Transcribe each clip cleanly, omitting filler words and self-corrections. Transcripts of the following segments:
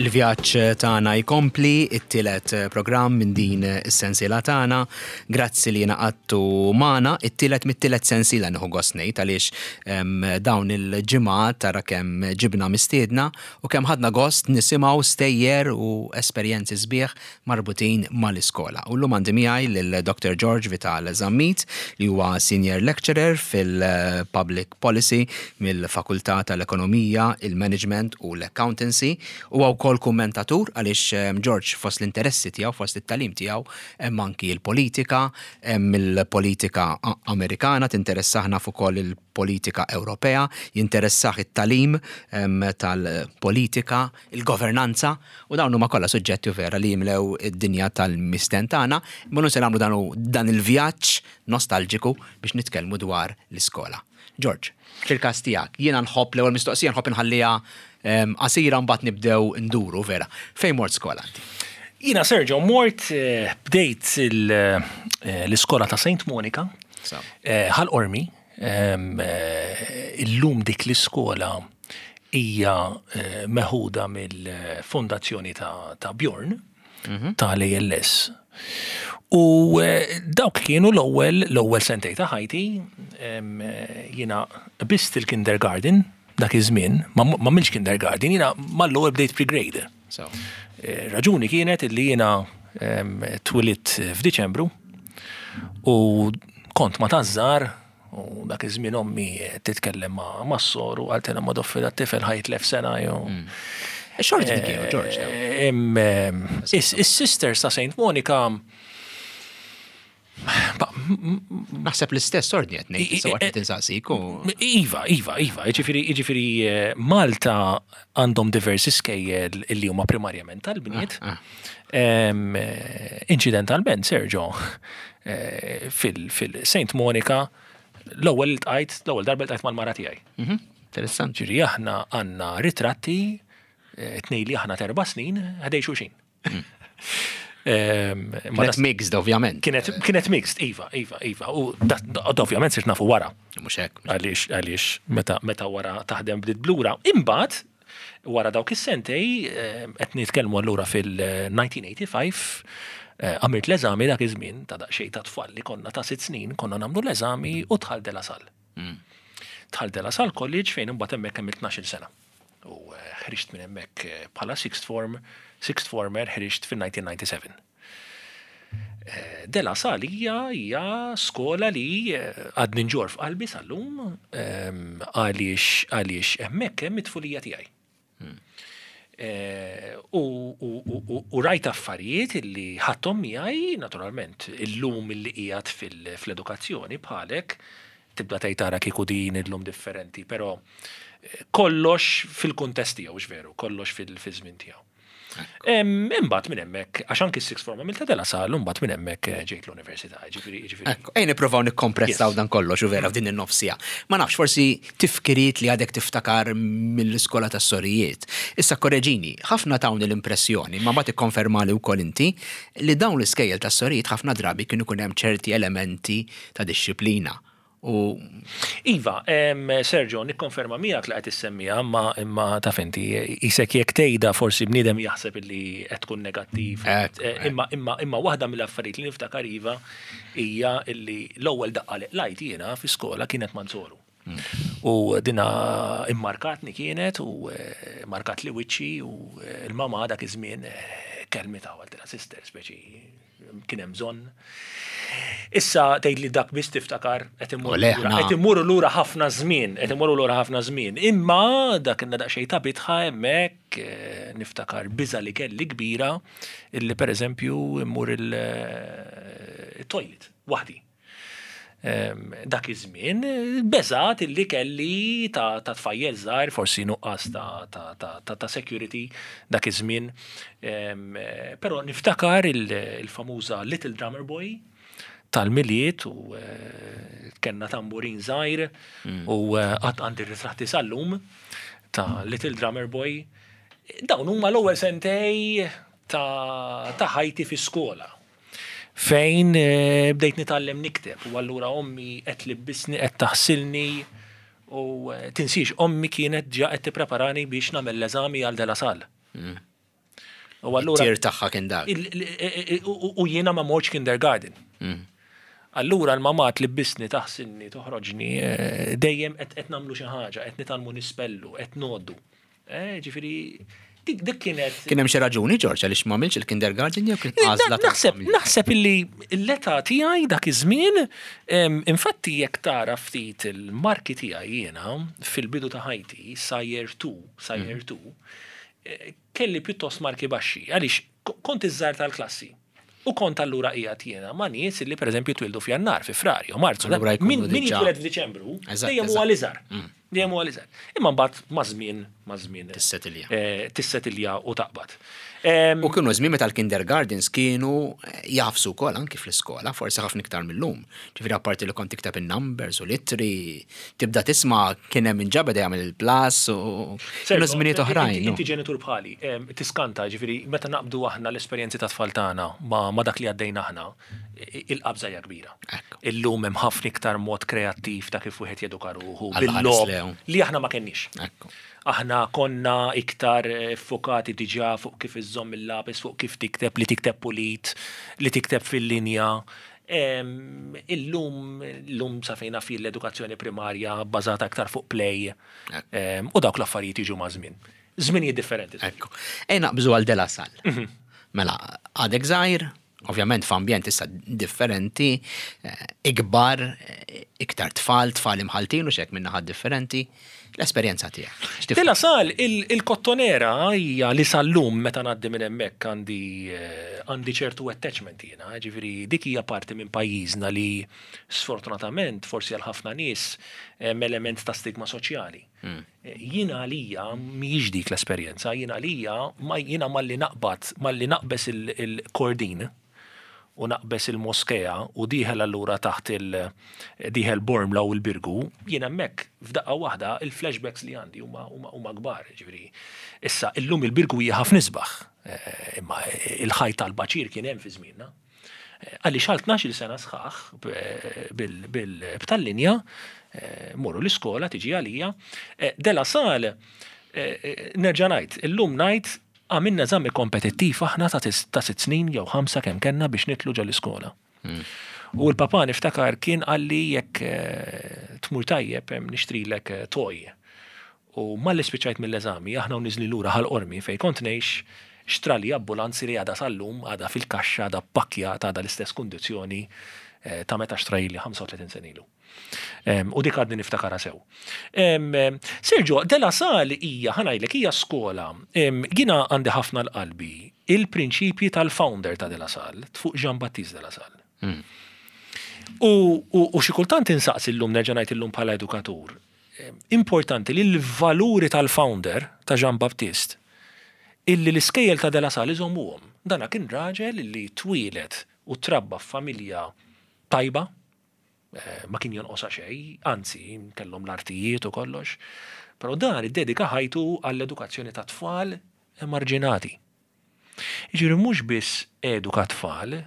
Il-vjaġġ tagħna jkompli, it-tielet programm minn din is-sensiela tagħna. Grazzi li ngħaqadtu magħna, it-tielet mit-tielet sensiela nieħu gost ngħid għaliex dawn il-ġimgħat tara kemm ġibna mistiedna u kemm ħadna gost nisimgħu stejjer u esperjenzi sbieħ marbutin mal-iskola. U llum għandi miegħi lil Dr. George Vital Zammit li huwa Senior Lecturer fil-Public Policy mill-Fakultà tal-Ekonomija, il-Management u l-Accountancy. Huwa wkoll kummentatur għaliex ehm, George fost l-interessi tiegħu, fost it-tagħlim tiegħu hemm anki l-politika, hemm il-politika Amerikana tinteressah naf ukoll il-politika Ewropea, jinteressah it-tagħlim ehm, tal-politika, il-governanza U dawn huma kollha suġġetti u vera li jimlew id-dinja tal-misten tagħna, imma llum se nagħmlu dan dan il-vjaġġ nostalġiku biex nitkellmu dwar l-iskola. George, fil-każ tiegħek, jiena nħobb l-ewwel mistoqsija nħobb inħalliha ehm, qasira mbagħad nibdew nduru vera. Fejn mort skola inti? Jiena Sergio mort eh, bdejt eh, l-iskola ta' St. Monica, eh, Ħal Qormi, ehm, illum dik l-iskola hija meħuda mill-fondazzjoni ta' Bjorn mhm. tal-ALS. U eh, dawk kienu l-ewwel l-ewwel sentej ta' ħajti jiena bist il-kindergarten dak iż-żmien, ma milx kindergarten, jiena mal-ewwel bdejt pre-grade. Eh, raġuni kienet illi jiena twilidt f'Diċembru u kont ma tażżar U dak iż-żmien ommi titkellem ma' mas-soru qaltilha ma doffi dat-tifel ħa jitlef sena jew. Mm. Xorti eh, kienu, George. Eh, is-sisters ta' Saint Monica Naħseb l-istess ordni qed ngħid, sewa qed insaqsik u. Iva, iva, iva, jiġifieri jiġifieri eh, Malta għandhom diversi skejjel li huma primarjament tal-bniet. Ah, ah. Inċidentalment, Sergio, eh, fil-Saint Monica l-ewwel iltqajt, l-ewwel darba iltqajt mal-mara tiegħi. Mhm, interessanti. Ġifieri aħna għandna ritratti eh, tnej li aħna terba' snin ħdej xulxin. Mm. Kienet mixed, ovvjament. Kienet mixed, iva, iva, iva. U ovvjament sirt nafu wara. Mhux hekk. Għaliex, għaliex, meta wara taħdem bdiet blura. Imbagħad, Wara dawk is-sentej, qed nitkellmu allura fil-1985, għamilt l-eżami dak iż-żmien ta' daqsxejn ta' tfal li konna ta' sitt snin, konna nagħmlu l-eżami u dħalt De La Salle. Mm. Dħalt De La Salle College fejn imbagħad hemmhekk għamilt 12-il sena. U eh, ħriġt minn hemmhekk eh, bħala sixth form, sixth former ħriġt fil-1997. De La Salle hija hija skola li eh, għadni nġor f'qalbi sal-lum ehm, għaliex għaliex hemmhekk hemm it-tfulija tiegħi. Hmm. Eh, u rajt affarijiet li ħadthom miegħi naturalment illum illi qiegħed fl-edukazzjoni bħalek tibda tgħid tara kieku din illum differenti, però eh, kollox fil-kuntest tiegħu veru, kollox fil-żmien tiegħu. Imbagħad minn hemmhekk, għax anki s-sixth form għamilta De La Salle, imbagħad minn hemmhekk eh, ġejt l-università, ġifieri ġifieri. Ejja nippruvaw nikkompressaw dan kollox u vera f'din in-nofsija. Ma nafx, forsi tifkiriet li għadek tiftakar mill-iskola tas-sorijiet. Issa korreġini, ħafna tawni l-impressjoni, ma mbagħad ikkonfermali wkoll inti, li dawn l-iskejjel tas-sorijiet ħafna drabi kienu jkun hemm ċerti elementi ta' dixxiplina. U. Iva, Sergio, nikkonferma miegħek li qed issemmiha, imma imma taf inti, isek jekk tgħidha forsi bniedem jaħseb illi qed tkun negattiv. Eh, imma imma imma waħda mill-affarijiet li niftakar iva hija illi l-ewwel daqqa li qlajt jiena fi skola kienet Manzoru. Hmm. U dina immarkatni kienet u eh, markat li wiċċi u eh, l-mama dak iż-żmien kelmita għal sister speċi kien hemm bżonn. Issa tgħid li dak biss tiftakar qed immorru qed immorru lura ħafna żmien, qed immorru lura ħafna żmien. Imma dak inna daqsxejn ta' bitħa hemmhekk eh, niftakar biża li kelli kbira illi pereżempju immur il-toilet eh, waħdi. Dak iż-żmien beżat illi kelli ta' tfajjel żgħir, forsi nuqqas ta' security dak iż-żmien. Però niftakar il-famuża Little Drummer Boy tal-Milied u eh, kellna tamburin żgħir mm. u eh, qatt għandi ritratti sal-lum ta' Little Drummer Boy. Dawn huma l-ewwel sentej ta' ħajti fi skola. Fejn bdejt nitgħallem nikteb u allura ommi qed tlibbisni, qed taħsilni u tinsiex ommi kienet ġa qed tippreparani biex nagħmel l-eżami għal De La Salle. Mm. U allura. Tir tagħha kien dak. U jiena ma mortx kindergarten. Allura l-mamà tlibbisni, taħsilni, toħroġni, dejjem qed nagħmlu xi ħaġa, qed nitgħallmu nispellu, qed ngħoddu. Ġifieri, dik kienet. Kien hemm xi raġuni, Ġorġ, għaliex m'għamilx il-kindergarten jew kien għażla ta' Naħseb, naħseb illi l-età tiegħi dak iż-żmien, infatti jekk tara ftit il-marki tiegħi jiena fil-bidu ta' ħajti, sa year 2, sa year 2, kelli pjuttost marki baxxi, għaliex kont iż-żgħar tal-klassi. U kont allura qiegħed jiena ma' nies illi pereżempju twildu f'Jannar, fi Frar jew Marzu. Min jitwieled f'Diċembru, dejjem huwa l-iżgħar. Dejjem huwa l-iżgħar. Imma mbagħad maż-żmien, maż-żmien. Tissetilja. Tissetilja u taqbad. U kienu żmien meta l-kindergartens kienu jagħfsu wkoll anki fl-iskola, forsi ħafna iktar mil-lum. Ġifieri apparti li kont tikteb in-numbers u l-ittri, tibda tisma' kien hemm min ġa beda jagħmel il-plus u kienu żminijiet oħrajn. Inti ġenitur bħali, tiskanta, ġifieri meta naqbdu aħna l-esperjenzi tat-tfal tagħna ma' dak li għaddejna aħna, il-qabża hija kbira. Illum hemm ħafna iktar mod kreattiv ta' kif wieħed jeduka ruħu bil-logħob li aħna ma kenniex. Aħna konna iktar ffukati diġà fuq kif iżżomm il-lapis, fuq kif tikteb, li tikteb pulit, li tikteb fil-linja. Illum, illum sa fejn naf jien l-edukazzjoni primarja bbażata iktar fuq play u dawk l-affarijiet jiġu maż-żmien. Żminijiet differenti. Ekku. Ejja naqbżu għal De La Salle. Mela, għadek żgħir, ovvjament f'ambjent issa differenti, ikbar, iktar tfal, tfal imħalltin u x'hekk minn naħat differenti. L-esperjenza tiegħek. De La Salle, il-Kottonera hija li sal-lum meta ngħaddi minn hemmhekk għandi għandi ċertu attachment jiena, ġifieri dik hija parti minn pajjiżna li sfortunatament forsi għal ħafna nies hemm element ta' stigma soċjali. Jiena għalija mhijiex dik l-esperjenza, jiena għalija ma jiena malli naqbad, malli naqbeż il-kordin u naqbeż il-moskea u dieħel allura taħt il dieħel Bormla u l-Birgu, jien hemmhekk f'daqqa waħda il-flashbacks li għandi huma huma kbar, jiġifieri. Issa illum il-Birgu hija ħafna isbaħ, imma il-ħajt tal-baċir kien hemm fi żmienna. Għaliex għal 12-il sena sħaħ b'tal-linja, morru l-iskola tiġi għalija. De La Salle, nerġa' ngħid, illum ngħid għamilna eżami kompetittiv aħna ta' sitt snin jew ħamsa kemm kellna biex nidħlu ġol-iskola. U l-papà niftakar kien qalli jekk tmur tajjeb nixtrilek toy. U malli spiċċajt mill-eżami, aħna u niżlin lura Ħal Qormi fejn kont ngħix, xtrali ambulanzi li għadha sal-lum, għadha fil-kaxxa, għadha ppakkjata, għadha l-istess kundizzjoni ta' meta xtrahili 35 sena ilu. U dik għadni niftakarha sew. Sergio, De La Salle hija, ħa ngħidlek, hija skola. Jiena għandi ħafna l-qalbi il-prinċipji tal-founder ta' De La Salle, fuq Jean-Baptiste De La Salle. U xi kultant insaqsi llum, nerġa' ngħid illum bħala edukatur, importanti li l-valuri tal-founder ta' Jean Baptiste illi l-iskejjel ta' De La Salle iżommuhom. Dana kien raġel li twieled u trabba f'familja tajba, ma kien jonqosha xejn, anzi kellhom l-artijiet u kollox, però dan iddedika ħajtu għall-edukazzjoni ta' tfal emarġinati. Jiġifieri mhux biss eduka tfal,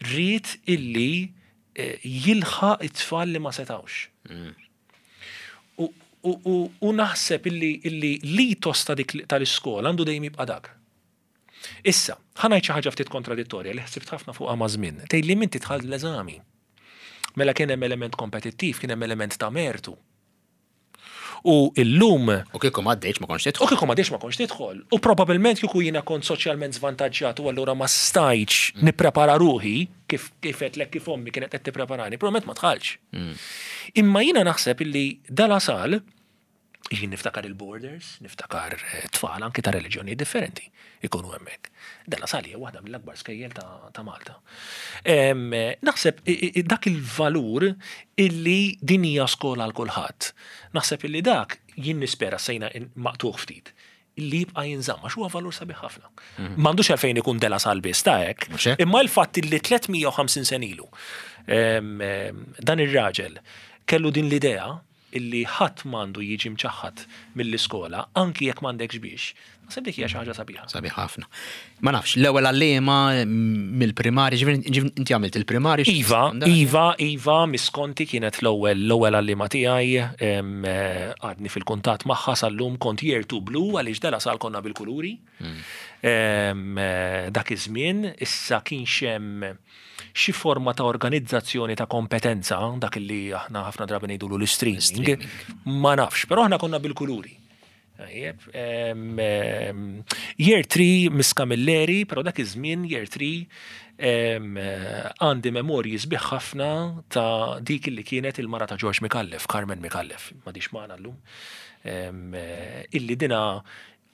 ried illi jilħaq it-tfal li ma setgħux. U naħseb illi l-ethos ta' dik tal-iskola għandu dejjem jibqa' dak. Issa, ħa ngħid xi ħaġa ftit kontradittorja li ħsibt ħafna fuqha maż-żmien. Tgħidli m'inti dħalt l-eżami. Mela kien hemm element kompetittiv, kien hemm element ta' mertu. U illum. U kieku ma għaddejtx ma kontx tidħol. U kieku ma għaddejtx ma kontx tidħol. U probabbilment kieku jiena kont soċjalment żvantaġġjat u allura ma stajtx nipprepara ruħi kif kif għedtlek kif ommi kienet qed tippreparani, probabbilment ma dħaltx. Imma jiena naħseb illi De La Salle, jien niftakar il-borders, niftakar tfal anki ta' reliġjonijiet differenti ikunu hemmhekk. De La Salle hija waħda mill-akbar skejjel ta' Malta. Naħseb dak il-valur illi din hija skola għal kulħadd. Naħseb illi dak jien nispera sejna maqtugħ ftit illi jibqa' jinżamm għax huwa valur sabiħ ħafna. M'għandux għalfejn ikun De La Salle biss ta' hekk, imma l-fatt illi 350 sena ilu dan ir-raġel kellu din l-idea illi ħadd m'għandu jiġi mċaħħad mill-iskola, anki jekk m'għandekx biex, naħseb dik hija xi ħaġa sabiħa. Sabiħ ħafna. Ma nafx, l-ewwel għalliema mill-primarja, ġifieri inti għamilt il-primarja? Iva, iva, iva, Miss Conti kienet l-ewwel l-ewwel għalliema tiegħi, għadni fil-kuntatt magħha sal-lum, kont year 2 blue għaliex De La Salle konna bil-kuluri. Dak iż-żmien issa kienx hemm xi forma ta' organizzazzjoni ta' kompetenza, dak li aħna ħafna drabi ngħidulu l-streaming, ma nafx, però aħna konna bil-kuluri. Tajjeb, year 3 Miss Camilleri, però dak iż-żmien year 3 għandi memorji sbieħ ħafna ta' dik li kienet il-mara ta' George Micallef, Carmen Micallef, m'għadhiex magħna llum. Illi dina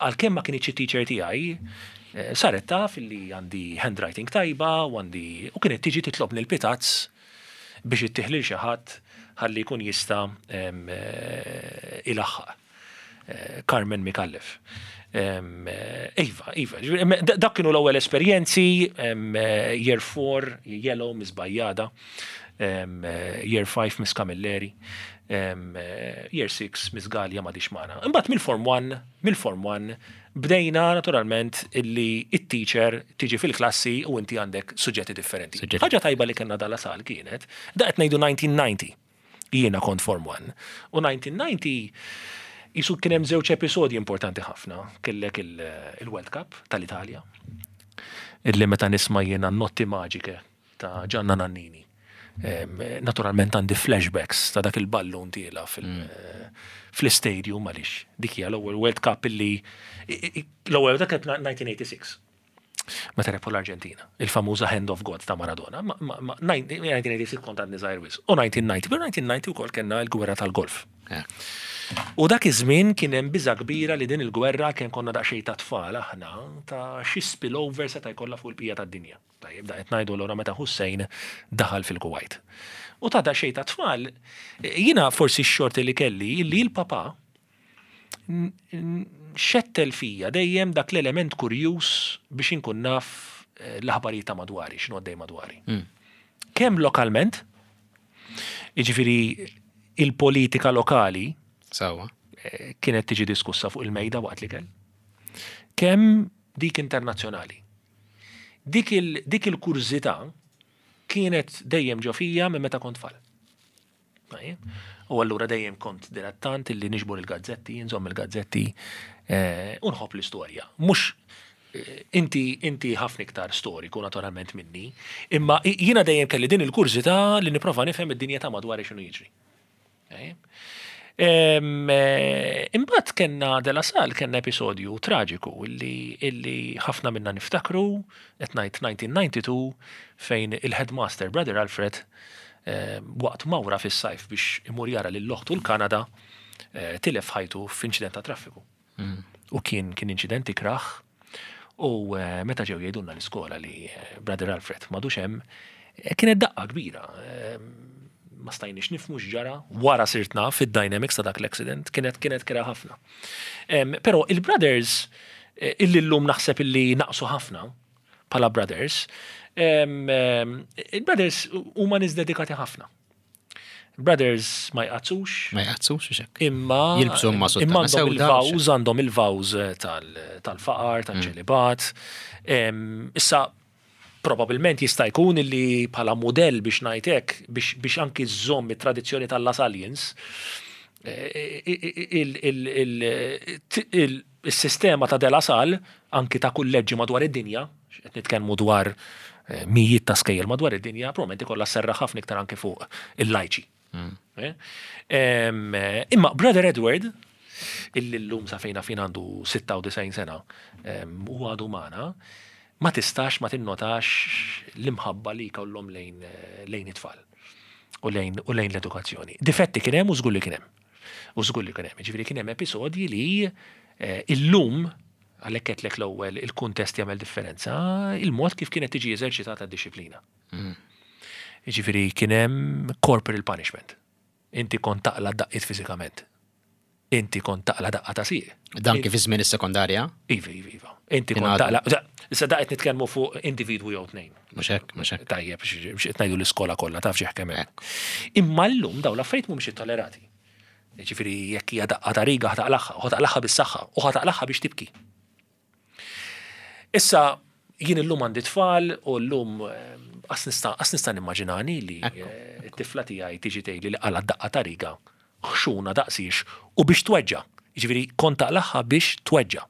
għalkemm ma kinitx it-teacher tiegħi, eh, saret taf illi għandi handwriting tajba u għandi u kienet tiġi titlobni l-pitazz biex ittih lil xi ħadd ħalli jkun jista' eh, ilaħħaq. Carmen Micallef. Iva, iva, dak kienu l-ewwel esperjenzi, year 4, yellow, Miss Bajjada, year 5, Miss Camilleri, year 6, Miss Gallia m'għadhiex magħna. Imbagħad mill-form 1, mill-form 1, bdejna naturalment illi it-teacher tiġi fil-klassi u inti għandek suġġetti differenti. Ħaġa tajba li kellna De La Salle kienet, da qed ngħidu 1990. Jiena kont Form 1. U 1990 jisu kien hemm żewġ episodji importanti ħafna. Kellek il-World Cup tal-Italja. Illi meta nisma' jiena Notti Magiche ta' Gianna Nannini. Naturalment għandi flashbacks ta' dak il-ballun tiela fl-istadium għaliex dik hija l-ewwel World Cup illi l-ewwel dak 1986. Meta rebħu l-Arġentina, il-famuża Hand of God ta' Maradona, 1986 kont għadni żgħir wisq, u 1990, pero 1990 ukoll kellna l-gwerra tal-Golf. U dak iż-żmien kien hemm biża' kbira li din il-gwerra kien konna daqsxejn ta' tfal aħna ta' xi spillover seta' jkollha fuq il-bqija tad-dinja. Tajjeb, da qed ngħidu allura meta Hussein daħal fil-Kuwait. U ta' daqsxejn ta' tfal, jiena forsi x-xorti li kelli illi l-papa xettel fija dejjem dak l-element kurjuż biex inkun naf eh, l-aħbarijiet ta' madwari, x'inhu għaddej madwari. Hmm. Kemm lokalment, jiġifieri il-politika lokali Sawa. Eh, kienet tiġi diskussa fuq il-mejda waqt li kell. Kemm dik internazzjonali. Dik il-kurżità kienet dejjem ġo fija minn meta kont tfal. U allura dejjem kont dilettant illi niġbor il-gazzetti, nżomm il-gazzetti eh, u nħobb l-istorja. Mhux eh, inti inti ħafna iktar storiku naturalment minni, imma jiena dejjem kelli din il-kurżità li nipprova nifhem id-dinja ta' madwar x'inhu jiġri. Eh, imbagħad kellna De La Salle kellna episodju traġiku illi, illi ħafna minna niftakru, qed ngħid 1992 fejn il-headmaster Brother Alfred waqt mawra fis-sajf biex imur jara lil oħtu l-Kanada, tilef ħajtu f'inċident ta' traffiku. Mm. U kien kien inċident ikrah u eh, meta ġew jgħidulna l-iskola li eh, Brother Alfred m'għadux hemm, eh, kienet daqqa kbira. Ma stajniex nifmu x'ġara, wara sirt naf id-dynamics ta' dak l-accident, kienet kienet kera ħafna. Però il-brothers illi llum naħseb illi naqsu ħafna, bħala brothers, il-brothers huma nies dedikati ħafna. Brothers ma jqazzux. Ma jqazzux, xek. Imma. Jilbsu ma Imma għandhom il-vawż, għandhom il-vawż tal-faqar, tal-ċelibat. Issa, probabilment jista' jkun illi bħala modell biex ngħid hekk, biex anki żżomm it-tradizzjoni tal-Lasallians, eh, Is-sistema ta' De La Salle, anki ta' kulleġġi madwar id-dinja, qed nitkellmu dwar eh, mijiet ta' skejjel madwar id-dinja, probabbilment ikollha sserraħ ħafna iktar anki fuq il-lajċi. Mm. Eh? Eh, imma Brother Edward, illi llum sa fejna fin għandu 96 sena u għadu magħna, ma tistax ma tinnotax l-imħabba li jkollhom lejn lejn it-tfal u lejn u lejn l-edukazzjoni. Difetti kien hemm u żgur li kien hemm. U żgur li kien hemm. Ġifieri kien hemm episodji li eh, illum għalhekk qedlek l-ewwel il-kuntest jagħmel differenza, il-mod kif kienet tiġi eżerċitata d-disciplina. Mm. Ġifieri kien hemm corporal punishment. Inti kont taqla daqqiet fiżikament. Inti kont taqla daqqa ta' sieq. Dan kif iż-żmien is-sekondarja? Iva, iva, iva. Inti kont taqla. Issa daqqa nitkellmu fuq individwu jew tnejn. Mhux hekk, mhux hekk. Tajjeb, biex qed ngħidu l-iskola kollha taf xi kemm hemm. Imma llum dawn l-affarijiet mhumiex ittollerati. Ġifieri jekk hija daqqa ta' riga ħa taqlagħha, u ħa taqlagħha bis-saħħa, u ħa taqlagħha biex tibki. Issa jien illum għandi tfal u llum eh, qas nista' qas nista' nimmaġinani li eh, t-tifla tiegħi tiġi tgħidli li qalgħet daqqa ta' riga ħxuna daqsiex u biex tweġġa'. Jiġifieri kont taqlagħha biex tweġġa'.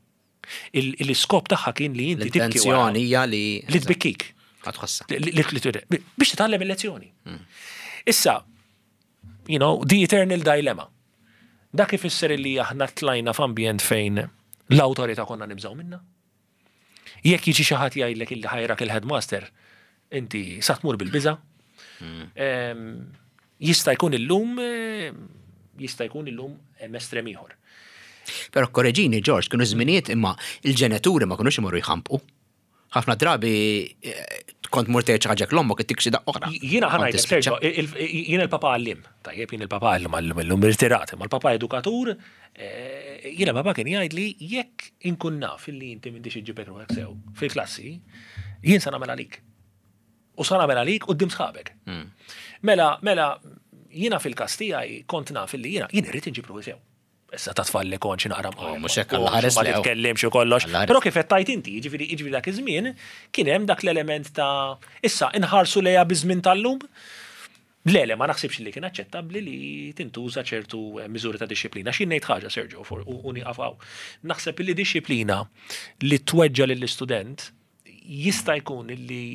L-iskop tagħha kien li inti tibki. L-intenzjoni hija li. Li tbikkik. Tħossha. Biex titgħallem il-lezzjoni. Issa, you know, the eternal dilemma. Dak ifisser li aħna tlajna f'ambjent fejn l-awtorità konna nibżgħu minna. Jekk jiġi xi ħadd jgħidlek illi ħa jrak il-headmaster, inti sa tmur bil-biża. Jista' jkun illum jista' jkun illum hemm estrem ieħor. Però korreġini, George, kienu żminijiet imma il-ġenituri ma kinux imorru jħampqu. Ħafna drabi kont mur tgħid xi ħaġa l-ommok ittik xi daqqa oħra. Jiena ħa ngħidlek, Sergio, jiena l-papa għalliem, tajjeb jien il-papa għalliem għalliem illum irtirat, imma l-papa edukatur, jiena papa kien jgħidli jekk inkun naf illi inti m'intix iġġibek ruħek sew fil-klassi, jien sa nagħmel għalik. U sa nagħmel għalik quddiem sħabek. Mela, mela, jiena fil-każ tiegħi kont naf illi jiena jien irrid inġib ruħi sew. Issa ta' tfal li kont xi naqra oh, mhux hekk Alla ħares ma titkellimx u kollox. Però kif qed tajt inti, jiġifieri jiġifieri dak iż-żmien kien hemm dak l-element ta' issa inħarsu lejha biż-żmien tal-lum. Le, le, ma naħsibx li kien aċċettabbli li tintuża ċertu eh, miżuri ta' dixxiplina. Xi ngħid ħaġa, Sergio, u nieqaf hawn. Naħseb li dixxiplina li tweġġa lill-istudent jista' jkun li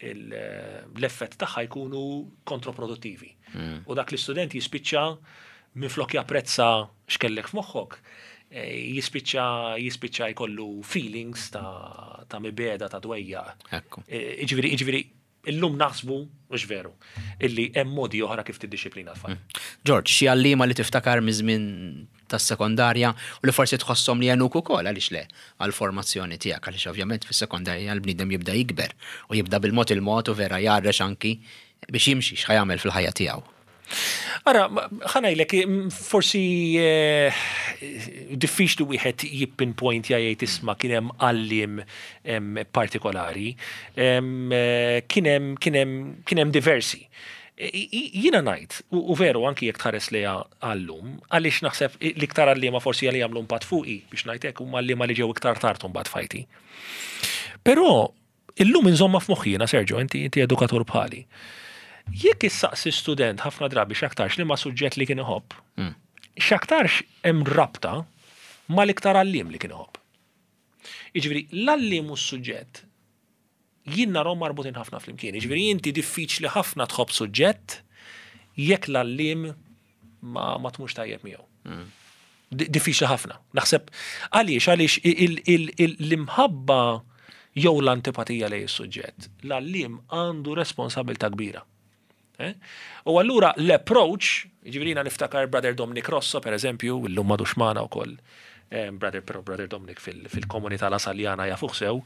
l-effett tagħha jkunu kontroproduttivi. U dak l-istudent jispiċċa minflok japprezza x'kellek f'moħħok, eh, jispiċċa jispiċċa jkollu feelings ta', ta mibeda ta' dwejjaq. Ekku. Eh, Jiġifieri, jiġifieri, illum naħsbu, mhux veru, illi hemm modi oħra kif tiddixxiplina tfal. George, xi għalliema li tiftakar miż-żmien tas-sekondarja u li forsi tħosshom li għenuk ukoll għaliex le għall-formazzjoni tiegħek għaliex ovvjament fis-sekondarja l-bniedem jibda jikber u jibda bil-mod il-mod u vera jgħarrex anki biex jimxi x'ħa jagħmel fil-ħajja tiegħu. Ara, ħa ngħidlek, forsi eh, diffiċli wieħed jippinpoint jgħid isma' kien hemm għalliem partikolari. Eh, Kien hemm kien hemm kien hemm diversi. Jiena ngħid, u veru anki jekk tħares lejha għallum, għaliex naħseb l-iktar għalliema forsi għalli jagħmlu impatt fuqi biex ngħidlek huma għalliema li ġew iktar tard mbagħad f'ħajti. Però illum inżomma f'moħħi jiena Sergio, inti inti edukatur bħali. Jekk issaqsi student ħafna drabi x'aktarx li ma suġġett li kien iħobb, x'aktarx hemm rabta mal-iktar għalliem li kien iħobb. Jiġifieri l-għalliem u s-suġġett jien narhom marbutin ħafna flimkien. Jiġifieri inti diffiċli ħafna tħobb suġġett jekk l-għalliem ma, ma tmux tajjeb miegħu. Diffiċli ħafna. Naħseb għaliex għaliex l-imħabba jew l-antipatija lejn is-suġġett, l-għalliem għandu responsabilità kbira. Eh? U allura l-approach, ġifieri niftakar Brother Dominic Rosso, per eżempju, illum m'għadux magħna wkoll, Brother però Brother Dominic fil-komunità La Saljana jafuh sew,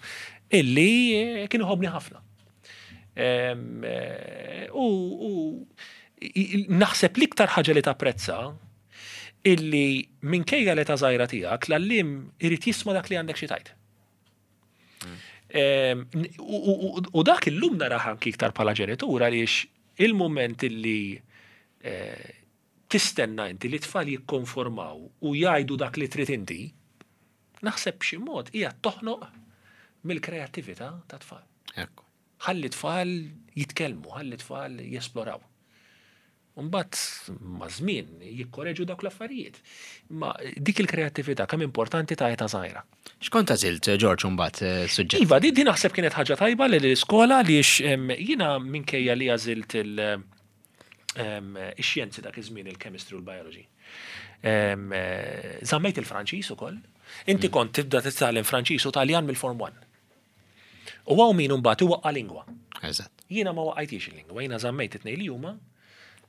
illi kien iħobbni ħafna. U naħseb l-iktar ħaġa li tapprezza illi minkejja l-età żgħira tiegħek l-għalliem irid jisma' dak li għandek xi tgħid. U dak illum narah anki iktar bħala ġenitur għaliex il-moment illi tistenna inti li tfal jikkonformaw u jgħidu dak li trid inti, naħseb b'xi mod hija toħnoq mill-kreattività ta' tfal. Ekku. Ħalli tfal jitkellmu, ħalli tfal jesploraw. Mbagħad ma' żmien jikkoreġu dawk l-affarijiet. Ma dik il-kreattività kemm importanti ta' età żgħira. X'kont għażilt, George, mbagħad suġġett? Iva, di naħseb kienet ħaġa tajba li l-iskola għaliex jiena minkejja li għażilt ix-xjenzi dak iż-żmien il-chemistry u l-biology. Żammejt il-Franċiż ukoll. Inti kont tibda titgħallem Franċiż u Taljan mill-Form 1. U hawn min imbagħad iwaqqa' lingwa. Eżatt. Jiena ma waqajtix il-lingwa, jiena żammejt it-tnejn li huma,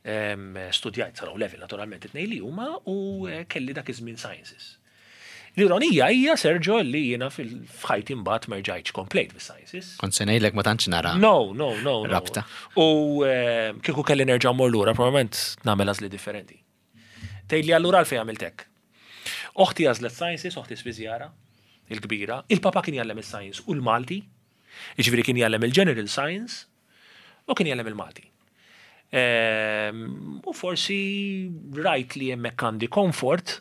studjajt sa level naturalment it-tnejn li huma u kelli dak iż-żmien sciences. L-ironija hija Sergio li jiena fil-ħajti mbagħad ma rġajtx komplejt bis-sciences. Kont se ngħidlek ma tantx nara. No, no, no. no. Rabta. U kieku kelli nerġa' mmur lura, probabbilment nagħmel għażli differenti. Tgħidli allura għalfejn għamilt hekk. Oħti għażlet sciences, oħti spiżjara, il-kbira. Il-papa kien jgħallem is-science u l-Malti, jiġifieri kien jgħallem il-general science u kien jgħallem il-Malti. U forsi rajt li hemmhekk għandi comfort,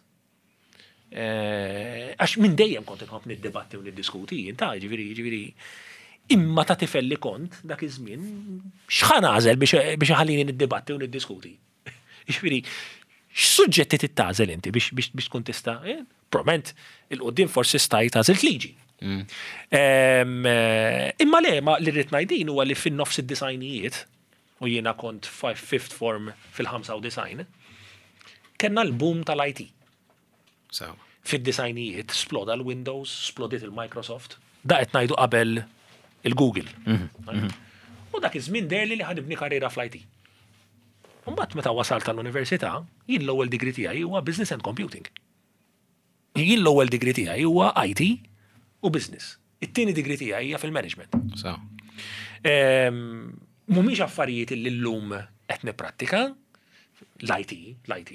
għax minn dejjem kont inħobb niddibatti u niddiskuti, ta' ġifieri, ġifieri, imma ta' tifel li kont dak iż-żmien, x'ħa nagħżel biex ħallini niddibatti u niddiskuti. Ġifieri, X'suġġetti trid tagħżel inti biex biex biex tkun tista' eh? Probabbilment il-qudiem forsi stajt għażilt liġi. Imma le, ma li rrid ngħid din huwa li fin-nofs id-disgħinijiet, u jiena kont fifth form fil-95, kellna l-boom tal-IT. Fid-disgħinijiet sploda l-Windows, splodiet il-Microsoft, da qed ngħidu qabel il-Google. U dak iż-żmien deherli li ħa nibni karriera fl-IT. Imbagħad meta wasalt għall-università, jien l-ewwel degree tiegħi huwa Business and Computing. Jien l-ewwel degree tiegħi huwa IT u Business. It-tieni degree tiegħi hija fil-management. Mhumiex affarijiet li llum qed nipprattika, l-IT, l-IT.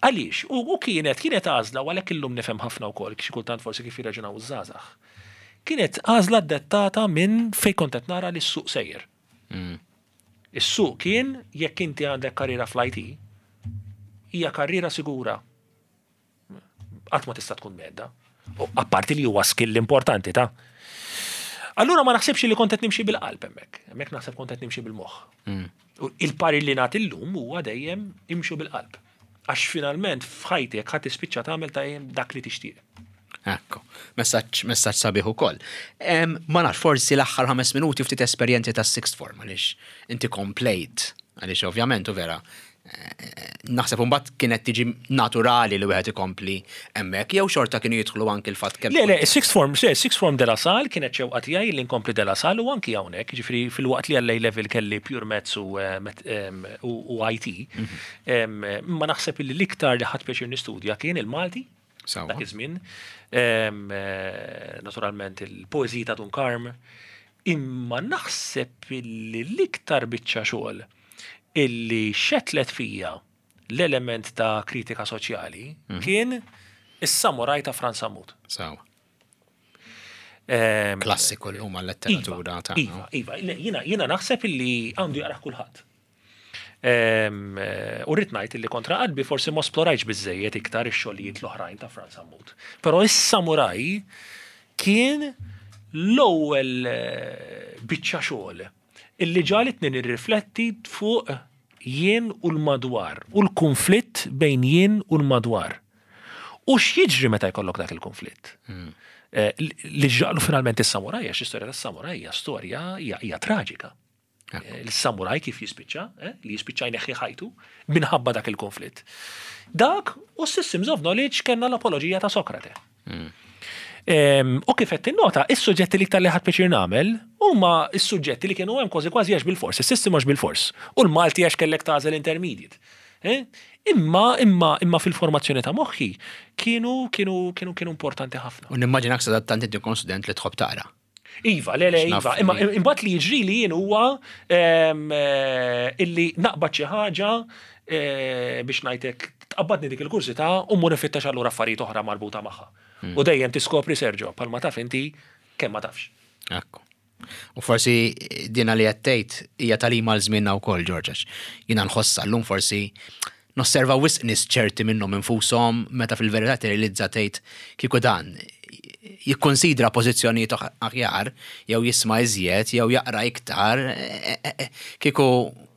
Għaliex? U kienet, kienet għażla u għalhekk illum nifhem ħafna wkoll xi kultant forsi kif jirraġunaw iż-żgħażagħ. Kienet għażla dettata minn fejn kont qed nara li s-suq sejjer. Is-suq kien jekk inti għandek karriera fl-IT, hija karriera sigura. Qatt ma tista' tkun medda. U apparti li huwa skill importanti ta'. Allura ma naħsibx li kont qed nimxi bil-qalb hemmhekk. Hemmhekk naħseb kont qed nimxi bil-moħħ. U il-parir li nagħti llum huwa dejjem imxu bil-qalb. Għax finalment f'ħajtek ħa tispiċċa tagħmel ta' dak li tixtieq. Ekku, messaġġ messaġġ sabiħ ukoll. Ma nafx, forsi l-aħħar 5 minuti ftit esperjenzi tas sixth form għaliex inti komplejt, għaliex ovvjament u vera naħseb imbagħad kienet tiġi naturali li wieħed ikompli hemmhekk jew xorta kienu jidħlu anki l-fatt kemm. Le, le, sixth form, se, sixth form De La Salle kienet xewqa tiegħi li nkompli De La Salle u anki hawnhekk, jiġifieri filwaqt li għall-A level kelli pure maths u u IT, imma naħseb li l-iktar li ħadt pjaċir nistudja kien il-Malti. Dak iż-żmien. Naturalment il-poeżiji ta' Dun Karm, imma naħseb li l-iktar biċċa xogħol illi xetlet fija l-element ta' kritika soċjali kien is-Samuraj ta' Frans Sammut. Sewa. Klassiku l-lum għal-letteratura iva, ta' Iva, iva, jiena naħseb illi għandu jaqrah kulħadd. U rrid ngħid illi kontra qalbi forsi ma splorajtx biżejjed iktar ix-xogħlijiet l-oħrajn ta' Frans Sammut. Però is-Samuraj kien l-ewwel biċċa xogħol illi ġagħlitni nirrifletti fuq jien u l-madwar u l-kunflitt bejn jien u l-madwar. U x'jiġri meta jkollok dak il-kunflitt? Li ġralu finalment is-samuraj, għax l-istorja tas-samuraj hija storja hija traġika. L-samuraj kif jispiċċa, li jispiċċa jneħħi ħajtu minħabba dak il-konflitt. Dak u Systems of Knowledge kellna l-apoloġija ta' Sokrate. U kif qed tinnota, is-suġġetti li iktar li ħadt pjaċir nagħmel huma s-suġġetti li kienu hemm kważi kważi għax bil-fors, is-system għax bil-fors, u l-Malti għax kellek tagħżel intermediate. Imma, imma, imma fil-formazzjoni ta' moħħi kienu, kienu, kienu, kienu importanti ħafna. U nimmaġinak sadattant inti kont student li tħobb taqra. Iva, le, le, iva. Imma imbagħad li jiġri li jien huwa illi naqbad xi ħaġa biex ngħidlek tqabbadni dik il-kurżità u mmur infittex allura affarijiet oħra marbuta magħha. U dejjem tiskopri Sergio, bħalma taf inti kemm ma tafx. Ekku. U forsi dina li qed tgħid hija tagħlima għal żmienna wkoll, Ġorġ, għax jiena nħossha llum forsi nosserva wisq nies ċerti minnhom infushom meta fil-verità tirrealizza tgħid kieku dan jikkunsidra pożizzjonijiet aħjar jew jisma' iżjed jew jaqra iktar kieku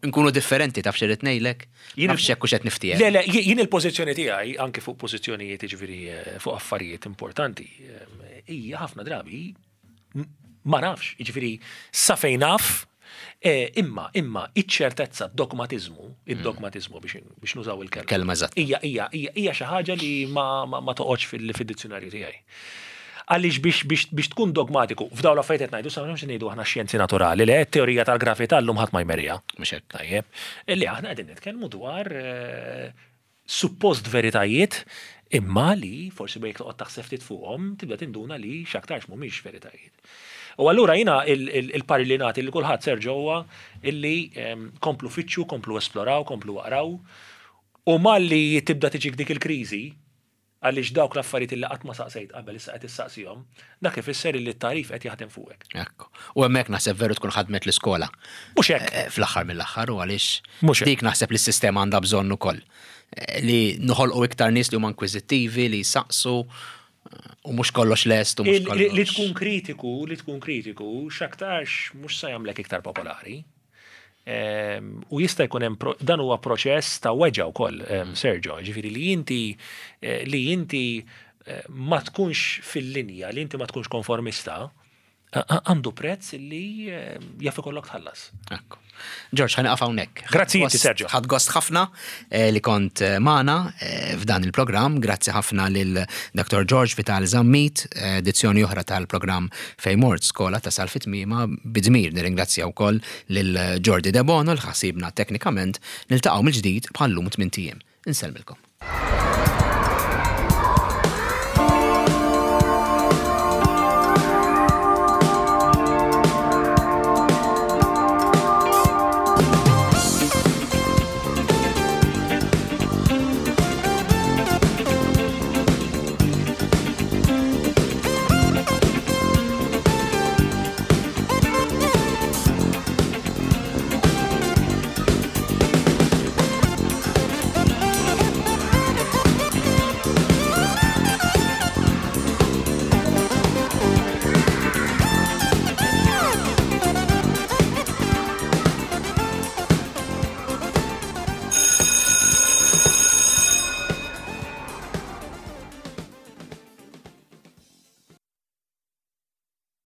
nkunu differenti taf x'irrid ngħidlek? Nafx hekk hux qed niftiehem. Le, le, jien il-pożizzjoni tiegħi anke fuq pożizzjonijiet jiġifieri fuq affarijiet importanti hija ħafna drabi Ma nafx, jiġifieri sa fejn naf, imma imma iċ-ċertezza, d-dogmatiżmu, id-dogmatiżmu biex nużaw il-kelma. Kelma eżatt. Hija hija hija xi ħaġa li ma ma toqgħodx fid-dizzjunarju tiegħi. Għaliex biex biex biex tkun dogmatiku, f'dawn l-affarijiet qed ngħidu, sa m'hemmx ngħidu aħna xjenzi naturali, le t-teorija tal-gravità llum ħadd ma jmerriha. Mhux hekk. Tajjeb. Li aħna qegħdin nitkellmu dwar suppost veritajiet imma li forsi jekk toqgħod taħseb ftit fuqhom tibda tinduna li x'aktarx mhumiex veritajiet. U allura jiena il-parir li nagħti lil kulħadd Sergio huwa illi komplu fittxu, komplu esploraw, komplu aqraw u malli tibda tiġik dik il-kriżi għaliex dawk l-affarijiet illi qatt ma saqsejt qabel issa qed issaqsihom, dak ifisser illi t-tagħrif qed jaħdem fuqek. Ekku. U hemmhekk naħseb veru tkun ħadmet l-iskola. Mhux hekk. Fl-aħħar mill-aħħar u għaliex dik naħseb li s-sistema għandha bżonn ukoll. Li noħolqu iktar nies li huma inkwiżittivi, li jsaqsu u mhux kollox lest u mhux kollox. Li tkun kritiku, li tkun kritiku, x'aktarx mhux se jagħmlek iktar popolari. U jista' jkun hemm dan huwa proċess ta' weġgħa wkoll, Sergio, ġifieri li inti li inti ma tkunx fil-linja, li inti ma tkunx konformista, għandu prezz li jaf ikollok tħallas. Ekku. George, ħa nieqaf hawnhekk. Grazzi inti, Sergio. Ħadt gost ħafna li kont magħna f'dan il-programm. Grazzi ħafna lil Dr. George Vital Zammit, edizzjoni oħra tal-programm Fejn Mort Skola tasal fi tmiemha bidmir. Nirringrazzja wkoll lil Jordi Debono li ħasibna teknikament. Niltaqgħu mill-ġdid bħal-lum tmint ijiem. Insellmilkom.